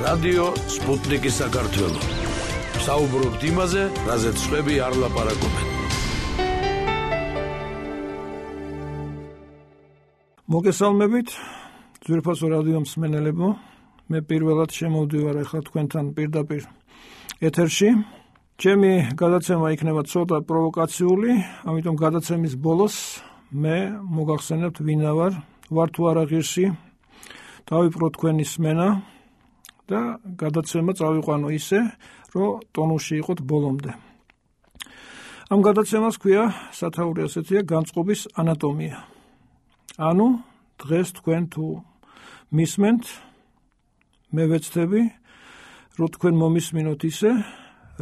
რადიო სპუტნიკი საქართველო. საუბრობთ იმაზე, რაზეც სხვები არ ლაპარაკობენ. მოგესალმებით, ძვირფასო რადიო მსმენელებო. მე პირველად შემოვდივარ ახლა თქვენთან პირდაპირ ეთერში. ჩემი გადაცემა იქნება ცოტა პროვოკაციული, ამიტომ გადაცემის ბოლოს მე მოგახსენებთ ვინა ვარ თუ არა ღირსი, დავიპყრო თქვენი სმენა და გადაცემა წავიყვანო ისე, რომ ტონუსში იყოთ ბოლომდე. ამ გადაცემას ქვია სათაური ასეთია განწყობის ანატომია. ანუ დღეს თქვენ თუ მისმენთ, მე ვეცდები, რომ თქვენ მომისმინოთ ისე,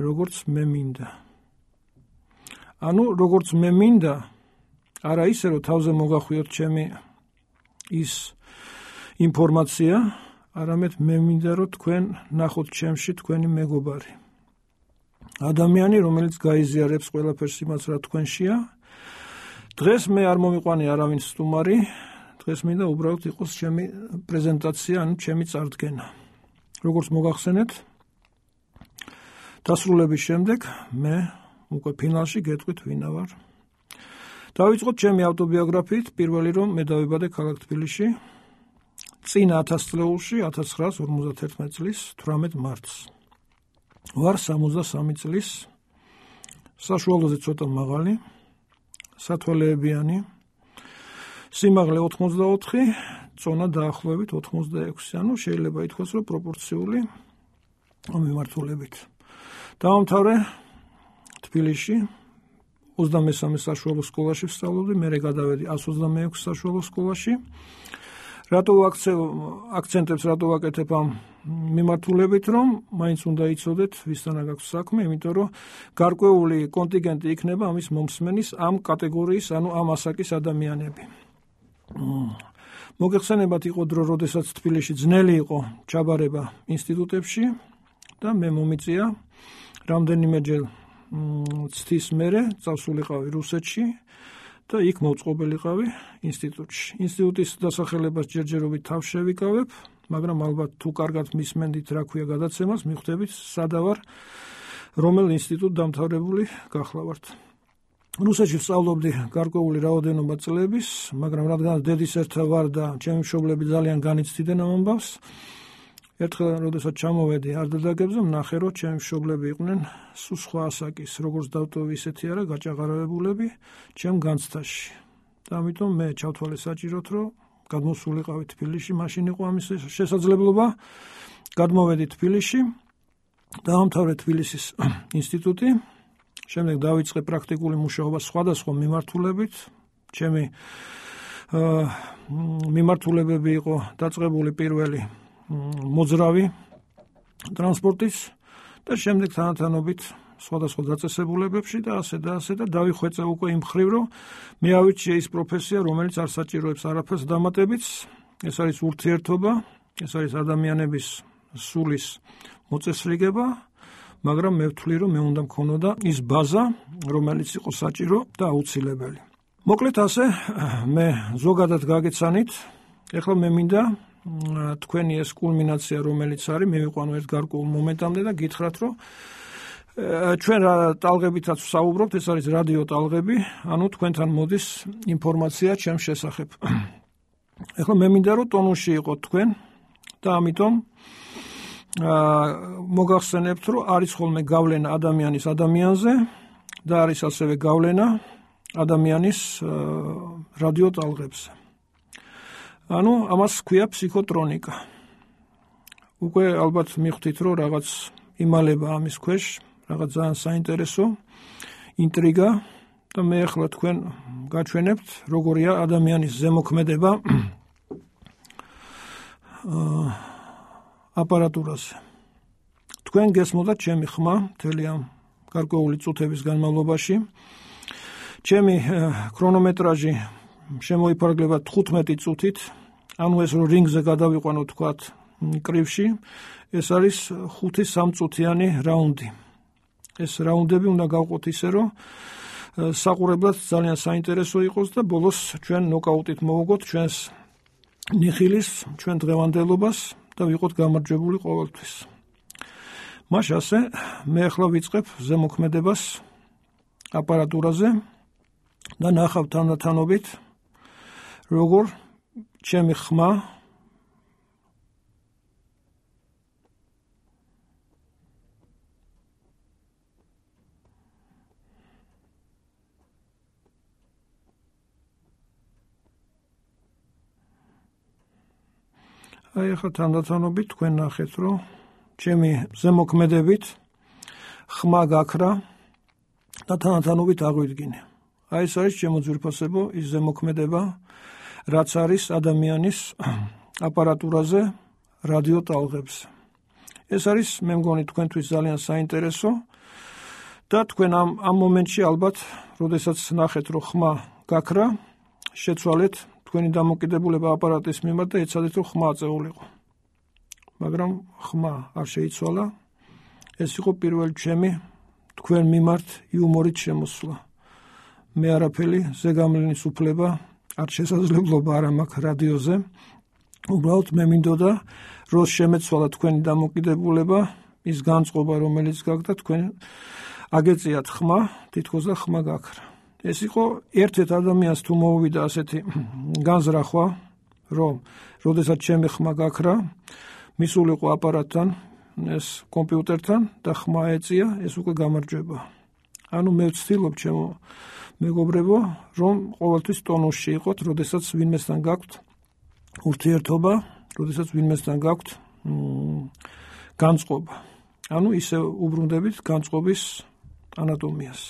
როგორც მე მინდა. ანუ როგორც მე მინდა, არა ისე, რომ თავზე მოგახვიოთ ჩემი ის ინფორმაცია, არამედ მე მინდა, რომ თქვენ ნახოთ ჩემში თქვენი მეგობარი. ადამიანი, რომელიც გაიზიარებს ყველაფერს იმას, რა თქვენშია. დღეს მე არ მომიყვანე არავინ სტუმარი, დღეს მინდა უბრალოდ იყოს ჩემი პრეზენტაცია, ანუ ჩემი წარდგენა. როგორც მოგახსენეთ, დასრულების შემდეგ მე უკვე ფინალში გეტყვით ვინა ვარ. დავიწყოთ ჩემი ავტობიოგრაფიით, პირველი რომ მე დავიბადე ქალაქ თბილისში, წინა 1000 წლეულში, 1951 წლის 18 მარტს. ვარ 63 წლის, საშუალოზე ცოტა მაღალი, სათვალეებიანი, სიმაღლე 84, წონა დაახლოებით 86, ანუ შეიძლება ითქვას, რომ პროპორციული მიმართულებით. დავამთავრე თბილისში 23 საშუალო სკოლაში ვსწავლობდი, მერე გადავედი 126 საშუალო სკოლაში. რატო აქცენტებს რატო ვაკეთებ ამ მიმართულებით, რომ მაინც უნდა იცოდეთ, ვისთანა გაქვს საქმე, იმიტომ რომ გარკვეული კონტინგენტი იქნება ამის მომსმენის ამ კატეგორიის, ანუ ამ ასაკის ადამიანები. მოგეხსენებათ, იყო დრო, როდესაც თბილისში ძნელი იყო ჩაბარება ინსტიტუტებში და მე მომიწია რამდენიმეჯერ ცდის მერე წავსულიყავი რუსეთში და იქ მოვწყობილიყავი ინსტიტუტში. ინსტიტუტის დასახელებას ჯერჯერობით თავს შევიკავებ, მაგრამ ალბათ თუ კარგად მისმენდით, რა ქვია გადაცემას, მიხვდებით სადა ვარ, რომელ ინსტიტუტ დამთავრებული გახლავართ. რუსეთში ვსწავლობდი გარკვეული რაოდენობა წლების, მაგრამ რადგან დედის ერთა ვარ და ჩემი მშობლები ძალიან განიცდიდნენ ამ ამბავს, ერთხელ როდესაც ჩამოვედი არდადაგებზე, ვნახე, რომ ჩემი მშობლები იყვნენ სულ სხვა ასაკის, როგორც დავტოვი ისეთი არა, გაჭაღარებულები ჩემ განცდაში. და ამიტომ მე ჩავთვალე საჭიროდ, რომ გადმოსულიყავი თბილისში, მაშინ იყო ამის შესაძლებლობა. გადმოვედი თბილისში, დაამთავრე თბილისის ინსტიტუტი, შემდეგ დავიწყე პრაქტიკული მუშაობა სხვადასხვა მიმართულებით. ჩემი მიმართულებები იყო დაწყებული პირველი მოძრავი ტრანსპორტის და შემდეგ თანათანობით სხვადასხვა დაწესებულებებში და ასე და დავიხვეწე უკვე იმ მხრივ, რომ მე ავირჩიე ის პროფესია, რომელიც არ საჭიროებს არაფერს დამატებიც. ეს არის ურთიერთობა, ეს არის ადამიანების სულის მოწესრიგება, მაგრამ მე ვთვლი, რომ მე უნდა მქონოდა ის ბაზა, რომელიც იყო საჭირო და აუცილებელი. მოკლედ ასე, მე ზოგადად გაგეცანით, ეხლა მე მინდა თქვენი ეს კულმინაცია, რომელიც არის, მე ვიყვანო ერთ გარკვეულ მომენტამდე და გითხრათ, რომ ჩვენ რა ტალღებითაც ვსაუბრობთ, ეს არის რადიო ტალღები, ანუ თქვენთან მოდის ინფორმაცია ჩემს შესახებ. ეხლა მე მინდა, რომ ტონუსში იყოთ თქვენ და ამიტომ მოგახსენებთ, რომ არის ხოლმე გავლენა ადამიანის ადამიანზე და არის ასევე გავლენა ადამიანის რადიო ტალღებზე. ანუ ამას ქვია ფსიქოტრონიკა. უკვე ალბათ მიხვდით, რომ რაღაც იმალება ამის ქვეშ, რაღაც ძალიან საინტერესო ინტრიგა და მე ახლა თქვენ გაჩვენებთ, როგორია ადამიანის ზემოქმედება აპარატურაზე. თქვენ გესმოდათ ჩემი ხმა მთელი ამ გარკვეული წუთების განმავლობაში. ჩემი ქრონომეტრაჟი შემოიფარგლება 15 წუთით, ანუ ეს რომ რინგზე გადავიყვანოთ თქვათ კრივში, ეს არის 5-3 წუთიანი რაუნდი. ეს რაუნდები უნდა გავყოთ ისე, რომ საყურებლად ძალიან საინტერესო იყოს და ბოლოს ჩვენ ნოკაუტით მოვუგოთ ჩვენს ნიხილის, ჩვენ დღევანდელობას და ვიყოთ გამარჯვებული ყოველთვის. მაშ ასე მე ახლა ვიწყებ ზემოქმედებას აპარატურაზე და ნახავ თანდათანობით როგორ ჩემი ხმა აი ახლა თანდათანობით თქვენ ნახეთ რომ ჩემი ზემოქმედებით ხმა გაქრა და თანდათანობით აღვიდგინე. აი ეს არის ჩემო ძვირფასებო ის ზემოქმედება რაც არის ადამიანის აპარატურაზე რადიო ტალღებზე. ეს არის მე მგონი თქვენთვის ძალიან საინტერესო და თქვენ ამ მომენტში ალბათ როდესაც ნახეთ რომ ხმა გაქრა შეცვალეთ თქვენი დამოკიდებულება აპარატის მიმართ და ეცადეთ რომ ხმა აწეულიყო. მაგრამ ხმა არ შეიცვალა. ეს იყო პირველი ჩემი თქვენ მიმართ იუმორით შემოსვლა. მე არაფერი ზეგამლენის უფლება არ შესაძლებლობა არ მაქვს რადიოზე. უბრალოდ მე მინდოდა რომ შემეცვალა თქვენი დამოკიდებულება ის განწყობა რომელიც გაქვს და თქვენ აგეწიათ ხმა თითქოს და ხმა გაქრა. ეს იყო ერთ-ერთ ადამიანს თუ მოუვიდა ასეთი განზრახვა რომ როდესაც ჩემი ხმა გაქრა მისულიყო აპარატთან ეს კომპიუტერთან და ხმა ეწია ეს უკვე გამარჯვება. ანუ მე ვცდილობ ჩემო მეგობრებო რომ ყოველთვის ტონუსში იყოთ როდესაც ვინმესთან გაქვთ ურთიერთობა როდესაც ვინმესთან გაქვთ განწყობა. ანუ ისე უბრუნდებით განწყობის ანატომიას.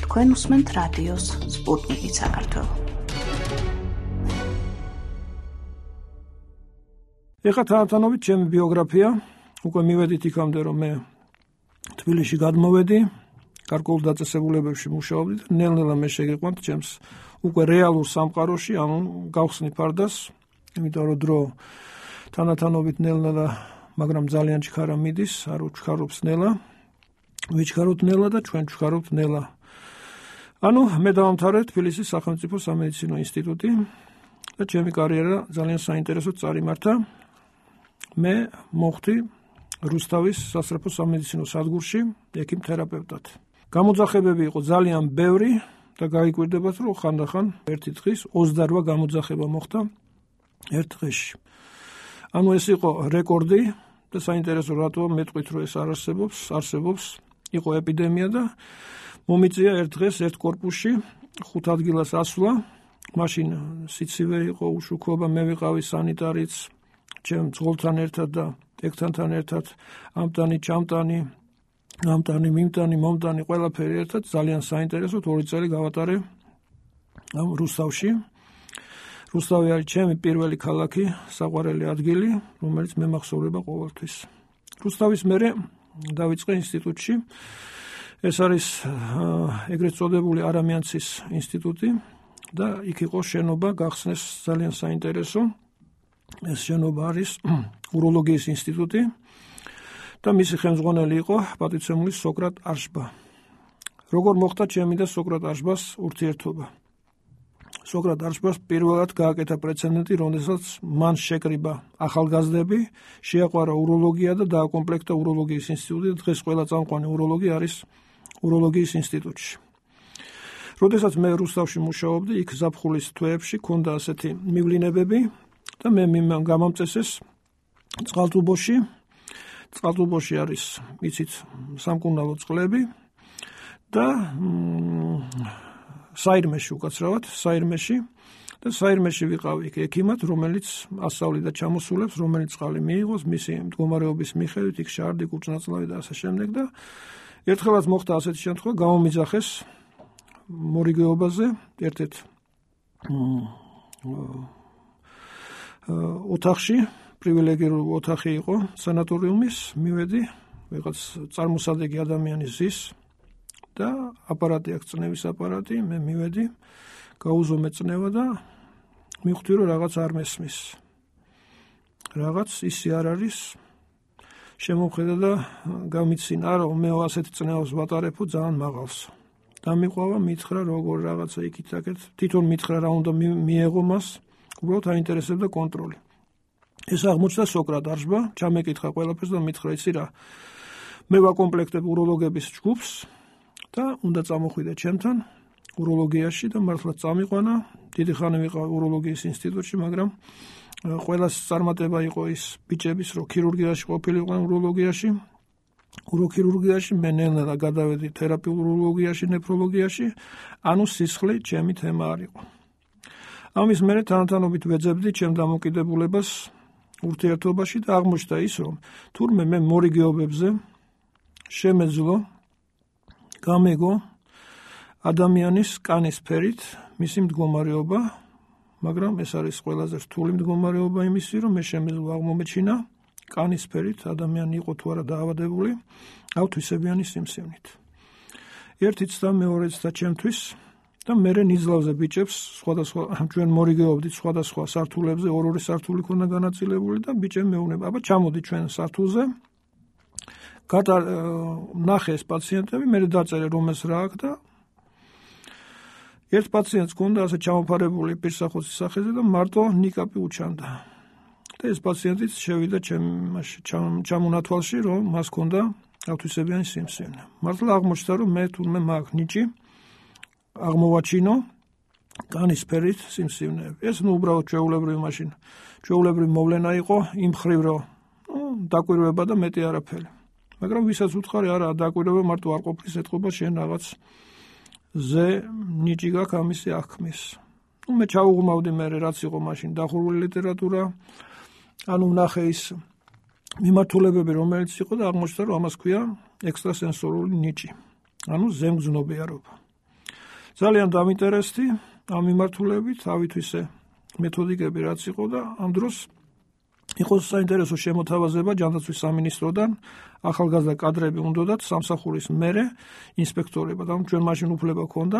თქვენ უსმენთ რადიოს სპუტნიკი საქართველო. ეხლა თანდათანობით ჩემი ბიოგრაფია უკვე მივედით იქამდე რომ მე თბილისში გადმოვედი გარკვეულ დაწესებულებებში მუშაობდი და ნელ-ნელა მე შეგიყვანთ ჩემს უკვე რეალურ სამყაროში ანუ გავხსნი ფარდას იმიტომ რომ დრო თანდათანობით ნელ-ნელა მაგრამ ძალიან ჩქარა მიდის არ უჩქარობს ნელა ვიჩქაროთ ნელა და ჩვენ ჩქარობთ ნელა. ანუ მე დავამთავრე თბილისის სახელმწიფო სამედიცინო ინსტიტუტი და ჩემი კარიერა ძალიან საინტერესოდ წარიმართა. მე მოხდი რუსთავის სასწრაფო სამედიცინო სადგურში ექიმ თერაპევტად. გამოძახებები იყო ძალიან ბევრი და გაიკვირდებათ რომ ხანდახან ერთი დღის 28 გამოძახება მოხდა ერთ დღეში. ანუ ეს იყო რეკორდი და საინტერესო რატოა მეტყვით რომ ეს არ არსებობს იყო ეპიდემია და მომიწია ერთ დღეს ერთ კორპუსში 5 ადგილას ასვლა. მაშინ სიცივე იყო უშუქობა მე ვიყავი სანიტარიც ჩემ ძღოლთან ერთად და ეკთანთან ერთად ამტანი ჩამტანი ამტანი მიმტანი მომტანი ყველაფერი ერთად ძალიან საინტერესოდ 2 წელი გავატარე ამ რუსთავში. რუსთავი არის ჩემი პირველი ქალაქი საყვარელი ადგილი რომელიც მე მახსოვრება ყოველთვის. რუსთავის მერე დავიწყე ინსტიტუტში ეს არის ეგრეთ წოდებული არამიანცის ინსტიტუტი და იქ იყო შენობა გახსნეს ძალიან საინტერესო ეს შენობა არის უროლოგიის ინსტიტუტი და მისი ხელმძღვანელი იყო პატივცემული სოკრატ არშბა. როგორ მოხდა ჩემი და სოკრატ არშბას ურთიერთობა? სოკრატ არშბას პირველად გააკეთა პრეცედენტი, როდესაც მან შეკრიბა ახალგაზრდები, შეაყვარა უროლოგია და დააკომპლექტა უროლოგიის ინსტიტუტი და დღეს ყველა წამყვანი უროლოგი არის უროლოგიის ინსტიტუტში. როდესაც მე რუსთავში მუშაობდი, იქ ზაფხულის თვეებში ქონდა ასეთი მივლინებები და მე გამამწესეს წყალტუბოში. წყალტუბოში არის, იცით, სამკურნალო წყლები და საირმეში უკაცრავად, საირმეში და საირმეში ვიყავი იქ ექიმად, რომელიც ასწავლიდა ჩამოსულებს, რომელიც წყალი მიიღოს, მისი მდგომარეობის მიხედვით, იქ შარდი, კურჭნაწლავი და ასე შემდეგ და ერთხელაც მოხდა ასეთი შემთხვევა, გამომიძახეს მორიგეობაზე ერთ-ერთ ოთახში, პრივილეგირებული ოთახი იყო სანატორიუმის, მივედი, ვიღაც წარმოსადეგი ადამიანი ზის და აპარატი აქვს, წნევის აპარატი, მე მივედი, გაუზომე წნევა და მივხვდი რომ რაღაც არ მესმის. რაღაც ისე არ არის შემოხედა და გამიცინა რომ მე ასეთი წნევას ვატარებო ძალიან მაღალს. დამიყვავა, მითხრა როგორ რაღაცა იქით-აქეთ, თვითონ მითხრა რა უნდა მიეღო მას, უბრალოდ აინტერესებდა კონტროლი. ეს აღმოჩნდა სოკრატ არშბა, ჩამეკითხა ყველაფერს და მითხრა, იცი რა, მე ვაკომპლექტებ უროლოგების ჯგუფს და უნდა წამოხვიდე ჩემთან უროლოგიაში და მართლაც წამიყვანა. დიდი ხანი ვიყავ უროლოგიის ინსტიტუტში, მაგრამ ყველას წარმატება იყო ის ბიჭების, რომ ქირურგიაში ყოფილიყვნენ უროლოგიაში. უროქირურგიაში მე ნელ-ნელა გადავედი თერაპიულ უროლოგიაში, ნეფროლოგიაში, ანუ სისხლი ჩემი თემა არ იყო. ამის მერე თანათანობით ვეძებდი ჩემ დამოკიდებულებას ურთიერთობაში და აღმოჩნდა ის, რომ თურმე მე მორიგეობებზე შემეძლო გამეგო ადამიანის კანის ფერით მისი მდგომარეობა, მაგრამ ეს არის ყველაზე რთული მდგომარეობა იმისი, რომ მე შემეძლო აღმომეჩინა კანის ფერით ადამიანი იყო თუ არა დაავადებული ავთვისებიანი სიმსივნით. ერთი ცდა მეორე ცდა ჩემთვის და მერე ნიძლავზე ბიჭებს სხვადასხვა ჩვენ მორიგეობდით სხვადასხვა სართულებზე, ორ-ორი სართული ქონდა განაწილებული და ბიჭები მეუბნება, აბა ჩამოდი ჩვენ სართულზე. ნახე ეს პაციენტები, მე დაწერე რომელს რა აქვს და ერთ პაციენტს ქონდა ასე ჩამოფარებული პირსახოცის სახეზე და მარტო ნიკაპი უჩანდა. და ეს პაციენტიც შევიდა ჩამონათვალში, რომ მას ქონდა ავთვისებიანი სიმსივნე. მართლა აღმოჩნდა, რომ მე თურმე მაქვს ნიჭი აღმოვაჩინო კანის ფერით სიმსივნეები. ეს უბრალოდ ჩვეულებრივი მოვლენა იყო იმ ხრივ, რომ დაკვირვება და მეტი არაფერი. მაგრამ ვისაც უთხარი, არა, დაკვირვება მარტო არ ყოფნის ეთყობა შენ რაღაც ზე ნიჭი გაქვს ამისი აღქმის. მე ჩავუღმავდი მე რაც იყო მაშინ დახურული ლიტერატურა, ანუ ვნახე ის მიმართულებები, რომელიც იყო და აღმოჩნდა, რომ ამას ქვია ექსტრასენსორული ნიჭი, ანუ ზემგზნობიარობა. ძალიან დამინტერესდი ამ მიმართულებით, ავითვისე მეთოდიკები რაც იყო და ამ დროს იყო საინტერესო შემოთავაზება ჯანდაცვის სამინისტროდან, ახალგაზრდა კადრები უნდათ სამსახურის მერე ინსპექტორებად. ანუ ჩვენ მაშინ უფლება ჰქონდა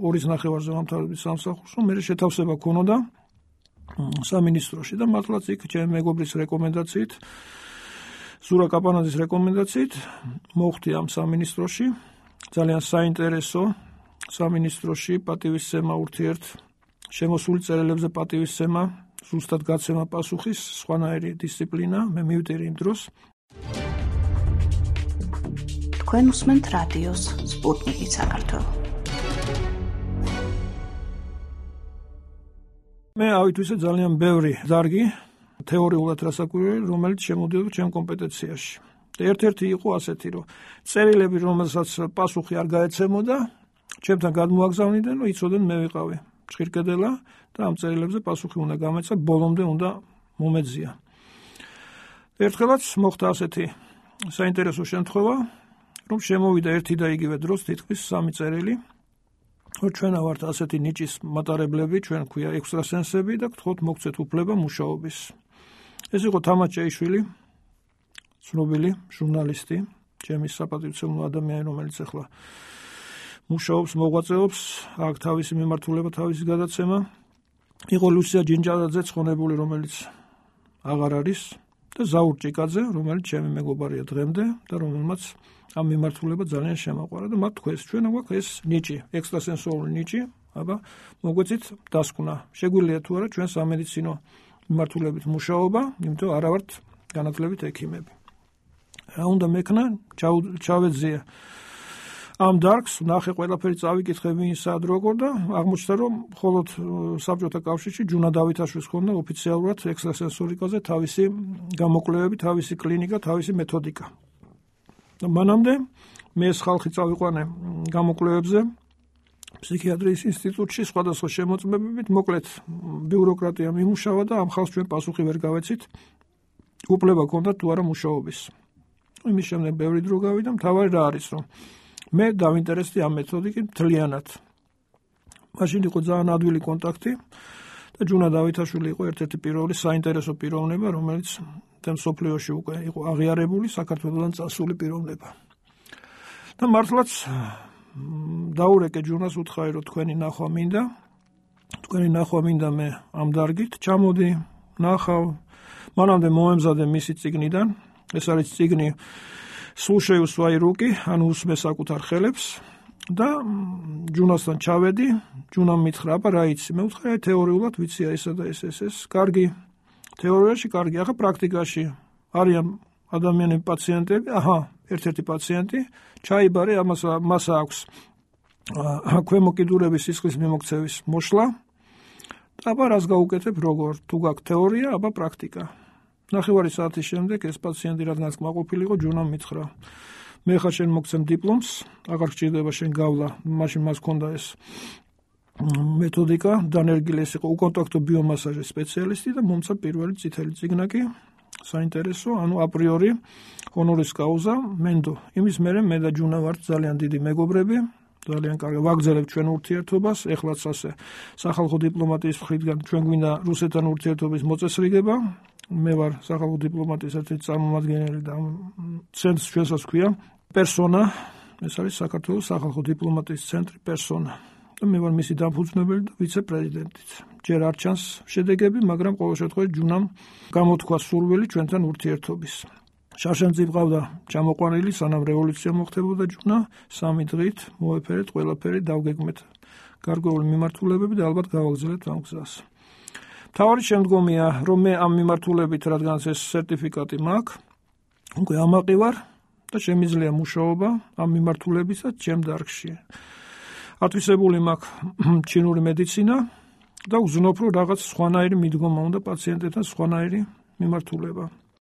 2.5-ზე ვამთავრებდი სამსახურს, რომ მერე შეთავსება ჰქონოდა სამინისტროში და მართლაც იქ ჩემი მეგობრის რეკომენდაციით, ზურა კაპანაძის რეკომენდაციით მოხვდი ამ სამინისტროში. ძალიან საინტერესო სამინისტროში პატივისცემა ურთიერთ შემოსული წერილებზე პატივისცემა, ზუსტად გაცემა პასუხის, სხვანაირი დისციპლინა, მე მივდირი იმ დროს. თქვენ უსმენთ რადიოს სპუტნიკი საქართველო. მე ავითვისე ძალიან ბევრი დარგი თეორიულად რასაკვირველი, რომელიც შემოდიოდა ჩემ კომპეტენციაში. ერთ-ერთი იყო ასეთი, რომ წერილები, რომელსაც პასუხი არ გაეცემოდა, ჩემთან გადმოაგზავნიდნენ, რომ იცოდნენ მე ვიყავი ჭირკედელა და ამ წერილებზე პასუხი უნდა გამეცა, ბოლომდე უნდა მომეძია. ერთხელაც მოხდა ასეთი საინტერესო შემთხვევა, რომ შემოვიდა ერთი და იგივე დროს თითქმის 3 წერილი, რომ ჩვენ ვართ ასეთი ნიჭის მატარებლები, ჩვენ ქვია ექსტრასენსები და გთხოვთ მოგცეთ უფლება მუშაობის. ეს იყო თამარ ჭეიშვილი, ცნობილი ჟურნალისტი, ჩემი საპატივცემულო ადამიანი, რომელიც ახლა მუშაობს, მოღვაწეობს, აქ თავისი მიმართულება, თავისი გადაცემა. იყო ლუსია ჯინჯალაძე ცხონებული, რომელიც აღარ არის და ზაურ ჭიკაძე, რომელიც ჩემი მეგობარია დღემდე და რომელმაც ამ მიმართულება ძალიან შემაყვარა და მათ თქვეს, ჩვენ გვაქვს ეს ნიჭი, ექსტრასენსორული ნიჭი, აბა მოგვეცით დასკვნა. შეგვიძლია თუ არა ჩვენ სამედიცინო მიმართულებით მუშაობა, იმიტომ არა ვართ განათლებით ექიმები. რა უნდა მექნა, ჩავეძიე ამ დარგს, ნახე ყველაფერი წავიკითხე ვინსად როგორ და აღმოჩნდა, რომ მხოლოდ საბჭოთა კავშირში ჯუნა დავითაშვილს ჰქონდა ოფიციალურად ექსტრასენსორიკაზე თავისი გამოკვლევები, თავისი კლინიკა, თავისი მეთოდიკა. და მანამდე მე ეს ხალხი წავიყვანე გამოკვლევებზე ფსიქიატრიის ინსტიტუტში სხვადასხვა შემოწმებებით, მოკლედ ბიუროკრატია მიმუშავა და ამ ხალხს ჩვენ პასუხი ვერ გავეცით, უფლება ჰქონდა თუ არა მუშაობის. იმის შემდეგ ბევრი დრო გავიდა, მთავარი რა არის, რომ მე დავინტერესდი ამ მეთოდიკით მთლიანად. მაშინ იყო ძალიან ადვილი კონტაქტი და ჯუნა დავითაშვილი იყო ერთ-ერთი პირველი საინტერესო პიროვნება, რომელიც მსოფლიოში უკვე იყო აღიარებული, საქართველოსთან წასული პიროვნება. და მართლაც დაურეკე ჯუნას, უთხარი, რომ თქვენი ნახვა მინდა მე ამ დარგით, ჩამოდი, ნახავ. მანამდე მომემზადე მისი წიგნიდან, ეს არის წიგნი სულ შეუსვაი რუკი, ანუ უსმე საკუთარ ხელებს, და ჯუნასთან ჩავედი, ჯუნამ მითხრა, აბა რა იცი? მე ვთქვა, თეორიულად ვიცი ესა და ეს. კარგი. თეორიაში კარგი, ახლა პრაქტიკაში არიან ადამიანები, პაციენტები, ერთ-ერთი პაციენტი ჩაიბარე, მას აქვს ქვემო კიდურების სისხლის მიმოქცევის მოშლა. აბა რას გაუკეთებ, როგორ? თუ გაქვს თეორია, აბა პრაქტიკა. ნახევარი საათის შემდეგ ეს პაციენტი რადგანაც კმაყოფილი იყო, ჯუნამ მითხრა, მე ხა შენ მოგცემ დიპლომს, აღარ გჭირდება შენ გავლა, მაშინ მას ჰქონდა ეს მეთოდიკა, დანერგილი ეს იყო უკონტაქტო ბიომასაჟის სპეციალისტი და მომცა პირველი წითელი წიგნაკი, საინტერესო, ანუ აპრიორი ჰონორის კაუზა მენდო. იმის მერე მე და ჯუნა ვართ ძალიან დიდი მეგობრები, ძალიან კარგი ვაგრძელებთ ჩვენ ურთიერთობას, ეხლაც ასე სახალხო დიპლომატიის მხრიდან ჩვენ გვინდა რუსეთთან ურთიერთობის მოწესრიგება. მე ვარ სახალხო დიპლომატიის ერთ-ერთი წარმომადგენელი და ცენტრს ჩვენსაც ქვია პერსონა, ეს არის საქართველოს სახალხო დიპლომატიის ცენტრი პერსონა. და მე ვარ მისი დამფუძნებელი და ვიცე-პრეზიდენტიც. ჯერ არ ჩანს შედეგები, მაგრამ ყოველ შემთხვევაში ჯუნამ გამოთქვა სურვილი ჩვენთან ურთიერთობის. შარშანძი ყავდა ჩამოყვანილი, სანამ რევოლუცია მოხდებოდა ჯუნა, 3 დღით მოეფერეთ ყველაფერი, დავგეგმეთ გარკვეული მიმართულებები და ალბათ გავაგრძელებთ ამ გზას. მთავარი შემდგომია, რომ მე ამ მიმართულებით, რადგანაც ეს სერტიფიკატი მაქვს, უკვე ამაყი ვარ და შემიძლია მუშაობა ამ მიმართულებისაც ჩემ დარგში. ათვისებული მაქვს ჩინური მედიცინა და ვზნობ, რომ რაღაც სხვანაირი მიდგომა უნდა პაციენტებთან, სხვანაირი მიმართულება.